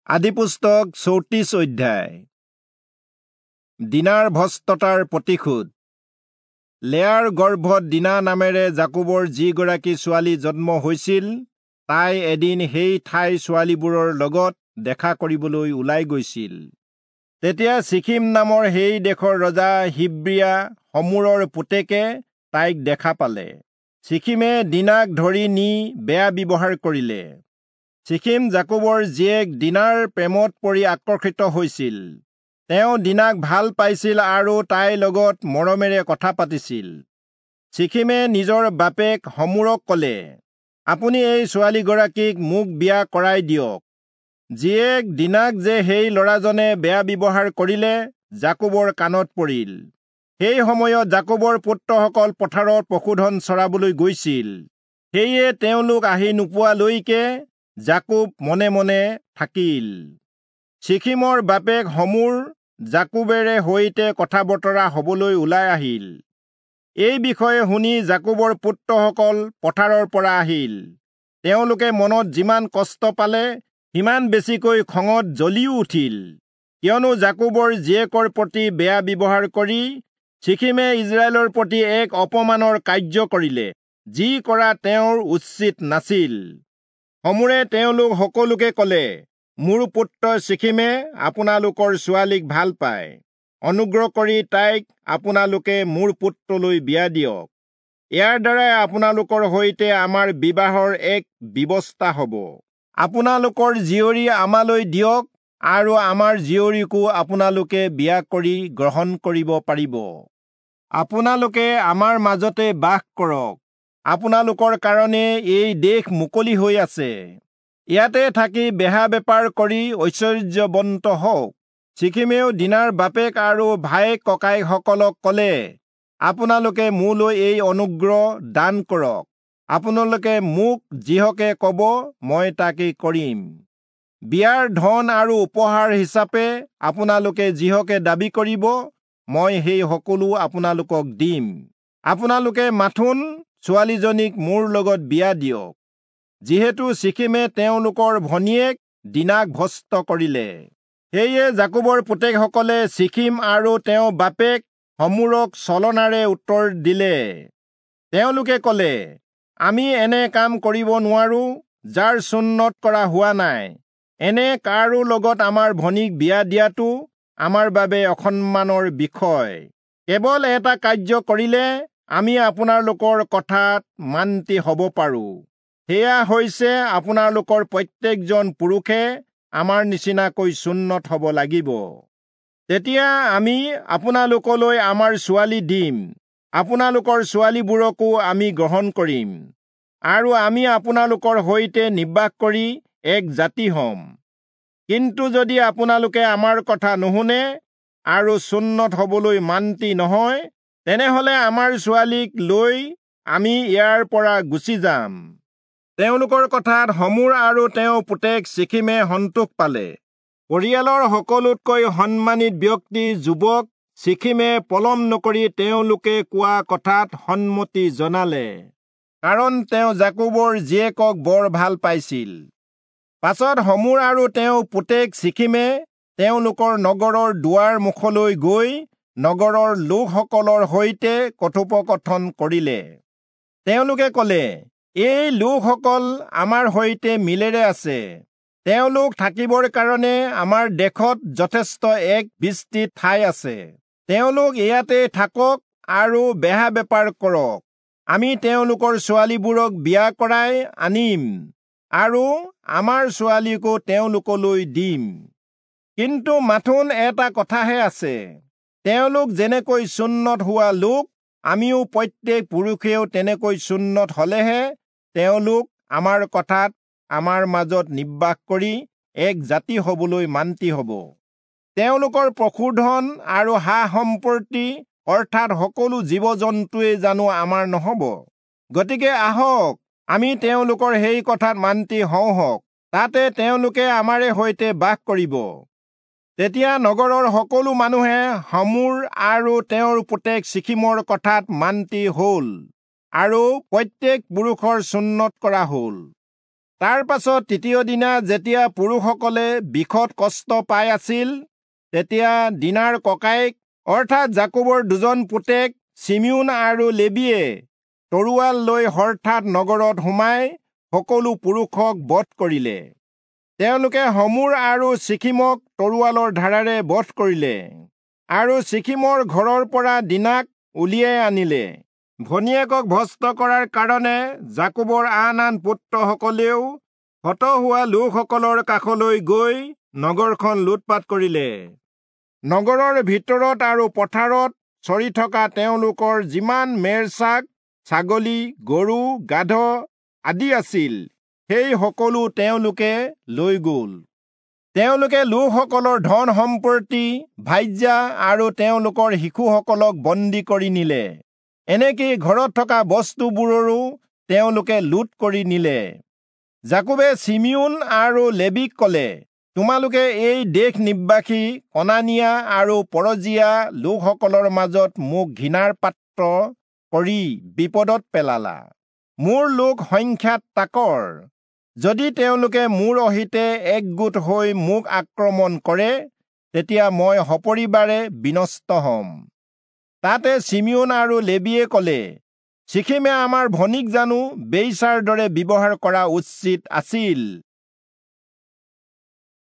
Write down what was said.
আদিপুস্তক 34 অধ্যায়। দীনাৰ ভ্ৰষ্টতাৰ প্ৰতিশোধ। লেয়াৰ গৰ্ভত দীনা নামেৰে যাকোবৰ যিগৰাকী ছোৱালী জন্ম হৈছিল, তাই এদিন সেই ঠাই ছোৱালীবোৰৰ লগত দেখা কৰিবলৈ ওলাই গৈছিল। তেতিয়া চিখিম নামৰ সেই দেশৰ ৰজা হিব্ৰিয়া হমোৰৰ পুতেকে তাইক দেখা পালে। চিখিমে দীনাক ধৰি নি বেয়া ব্যৱহাৰ কৰিলে। চিখিম যাকোবৰ জীয়েক দীনাৰ প্ৰেমত পৰি আকৰ্ষিত হৈছিল। তেওঁ দীনাক ভাল পাইছিল আৰু তাইৰ লগত মৰমেৰে কথা পাতিছিল। চিখিমে নিজৰ বাপেক হমোৰক ক'লে, আপুনি এই ছোৱালীগৰাকীক মোক বিয়া কৰাই দিয়ক। জীয়েক দীনাক যে সেই ল'ৰাজনে বেয়া ব্যৱহাৰ কৰিলে, যাকোবৰ কাণত পৰিল। সেই সময়ত যাকোবৰ পুত্ৰসকল পথাৰত পশুধন চৰাবলৈ গৈছিল। সেয়ে তেওঁলোক আহি নোপোৱালৈকে যাকোব মনে মনে থাকিল। চিখিমৰ বাপেক হমোৰ যাকোবেৰে সৈতে কথা বতৰা হ'বলৈ ওলাই আহিল। এই বিষয়ে শুনি যাকোবৰ পুত্ৰসকল পথাৰৰ পৰা আহিল। তেওঁলোকে মনত যিমান কষ্ট পালে, সিমান বেছিকৈ খঙত জ্বলিও উঠিল। কিয়নো যাকোবৰ জীয়েকৰ প্ৰতি বেয়া ব্যৱহাৰ কৰি চিখিমে ইজৰাইলৰ প্ৰতি এক অপমানৰ কাৰ্য কৰিলে, যি কৰা তেওঁৰ উচিত নাছিল। হমোৰে তেওঁলোক সকলোকে ক'লে, মোৰ পুত্ৰ চিখিমে আপোনালোকৰ ছোৱালীক ভাল পায়। অনুগ্ৰহ কৰি তাইক আপোনালোকে মোৰ পুত্ৰলৈ বিয়া দিয়ক। ইয়াৰ দ্বাৰাই আপোনালোকৰ সৈতে আমাৰ বিবাহৰ এক ব্যৱস্থা হ'ব। আপোনালোকৰ জীয়ৰী আমালৈ দিয়ক আৰু আমাৰ জীয়ৰীকো আপোনালোকে বিয়া কৰি গ্ৰহণ কৰিব পাৰিব। আপোনালোকে আমাৰ মাজতে বাস কৰক। আপোনালোকৰ কাৰণে এই দেশ মুকলি হৈ আছে। ইয়াতে থাকি বেহা বেপাৰ কৰি ঐশ্বৰ্যৱন্ত হওক। চিখিমেও দীনাৰ বাপেক আৰু ভায়েক ককায়েকসকলক ক'লে, আপোনালোকে মোলৈ এই অনুগ্ৰহ দান কৰক। আপোনালোকে মোক যিহকে ক'ব, মই তাকে কৰিম। বিয়াৰ ধন আৰু উপহাৰ হিচাপে আপোনালোকে যিহকে দাবী কৰিব, মই সেই সকলো আপোনালোকক দিম। আপোনালোকে মাথোন ছোৱালীজনীক মোৰ লগত বিয়া দিয়ক। যিহেতু চিখিমে তেওঁলোকৰ ভনীয়েক দীনাক ভ্ৰষ্ট কৰিলে, সেয়ে যাকোবৰ পুতেকসকলে চিখিম আৰু তেওঁ বাপেক হমোৰক ছলনাৰে উত্তৰ দিলে। তেওঁলোকে ক'লে, আমি এনে কাম কৰিব নোৱাৰো, যাৰ চুন্নত কৰা হোৱা নাই। এনে কাৰো লগত আমাৰ ভনীক বিয়া দিয়াটো আমাৰ বাবে অসন্মানৰ বিষয়। কেৱল এটা কাৰ্য কৰিলে আমি আপোনালোকৰ কথাত মান্তি হ'ব পাৰোঁ। সেয়া হৈছে আপোনালোকৰ প্ৰত্যেকজন পুৰুষে আমাৰ নিচিনাকৈ চুন্নত হ'ব লাগিব। তেতিয়া আমি আপোনালোকলৈ আমাৰ ছোৱালী দিম, আপোনালোকৰ ছোৱালীবোৰকো আমি গ্ৰহণ কৰিম, আৰু আমি আপোনালোকৰ সৈতে নিবাস কৰি এক জাতি হ'ম। কিন্তু যদি আপোনালোকে আমাৰ কথা নুশুনে আৰু চুন্নত হ'বলৈ মান্তি নহয়, তেনেহ'লে আমাৰ ছোৱালীক লৈ আমি ইয়াৰ পৰা গুচি যাম। তেওঁলোকৰ কথাত হমোৰ আৰু তেওঁৰ পুতেক চিখিমে সন্তোষ পালে। পৰিয়ালৰ সকলোতকৈ সন্মানিত ব্যক্তি যুৱক চিখিমে পলম নকৰি তেওঁলোকে কোৱা কথাত সন্মতি জনালে, কাৰণ তেওঁ যাকোবৰ জীয়েকক বৰ ভাল পাইছিল। পাছত হমোৰ আৰু তেওঁ পুতেক চিখিমে তেওঁলোকৰ নগৰৰ দুৱাৰ মুখলৈ গৈ নগৰৰ লোকসকলৰ সৈতে কথোপকথন কৰিলে। তেওঁলোকে ক'লে, এই লোকসকল আমাৰ সৈতে মিলেৰে আছে। তেওঁলোক থাকিবৰ কাৰণে আমাৰ দেশত যথেষ্ট এক বিস্তৃত ঠাই আছে। তেওঁলোক ইয়াতে থাকক আৰু বেহা বেপাৰ কৰক। আমি তেওঁলোকৰ ছোৱালীবোৰক বিয়া কৰাই আনিম আৰু আমাৰ ছোৱালীকো তেওঁলোকলৈ দিম। কিন্তু মাথোন এটা কথাহে আছে, তেওঁলোক যেনেকৈ চুন্নত হোৱা লোক, আমিও প্ৰত্যেক পুৰুষেও তেনেকৈ চুন্নত হ'লেহে তেওঁলোক আমাৰ কথাত আমাৰ মাজত নিবাস কৰি এক জাতি হ'বলৈ মান্তি হ'ব। তেওঁলোকৰ পশুধন আৰু সা সম্পত্তি অৰ্থাৎ সকলো জীৱ জন্তুৱেই জানো আমাৰ নহ'ব? গতিকে আহক, আমি তেওঁলোকৰ সেই কথাত মান্তি হওঁ হওক, তাতে তেওঁলোকে আমাৰে সৈতে বাস কৰিব। তেতিয়া নগৰৰ সকলো মানুহে হমোৰ আৰু তেওঁৰ পুতেক চিখিমৰ কথাত মান্তি হ'ল আৰু প্ৰত্যেক পুৰুষৰ চুন্নত কৰা হ'ল। তাৰ পাছত তৃতীয় দিনা যেতিয়া পুৰুষসকলে বিষত কষ্ট পাই আছিল, তেতিয়া দীনাৰ ককায়েক অৰ্থাৎ যাকোবৰ দুজন পুতেক চিমিয়োন আৰু লেবীয়ে তৰোৱাল লৈ হঠাৎ নগৰত সোমাই সকলো পুৰুষক বধ কৰিলে। তেওঁলোকে হমোৰ আৰু চিখিমক তৰোৱালৰ ধাৰাৰে বধ কৰিলে আৰু চিখিমৰ ঘৰৰ পৰা দীনাক উলিয়াই আনিলে। ভনীয়েকক ভ্ৰষ্ট কৰাৰ কাৰণে যাকোবৰ আন আন পুত্ৰসকলেও হত হোৱা লোকসকলৰ কাষলৈ গৈ নগৰখন লুটপাত কৰিলে। নগৰৰ ভিতৰত আৰু পথাৰত চৰি থকা তেওঁলোকৰ যিমান মেৰছাক, ছাগলী, গৰু, গাধ আদি আছিল, সেই সকলো তেওঁলোকে লৈ গ'ল। তেওঁলোকে লোকসকলৰ ধন সম্পত্তি, ভাৰ্যা আৰু তেওঁলোকৰ শিশুসকলক বন্দী কৰি নিলে। এনেকি ঘৰত থকা বস্তুবোৰৰো তেওঁলোকে লুট কৰি নিলে। যাকোবে চিমিয়োন আৰু লেবীক ক'লে, তোমালোকে এই দেশ নিবাসী কনানীয়া আৰু পৰজীয়া লোকসকলৰ মাজত মোক ঘৃণাৰ পাত্ৰ কৰি বিপদত পেলালা। মোৰ লোক সংখ্যাত তাকৰ। যদি তেওঁলোকে মোৰ অহিতে একগোট হৈ মোক আক্ৰমণ কৰে, তেতিয়া মই সপৰিবাৰে বিনষ্ট হ'ম। তাতে চিমিয়োন আৰু লেবীয়ে ক'লে, চিখিমে আমাৰ ভনীক জানো বেশ্যাৰ দৰে ব্যৱহাৰ কৰা উচিত আছিল?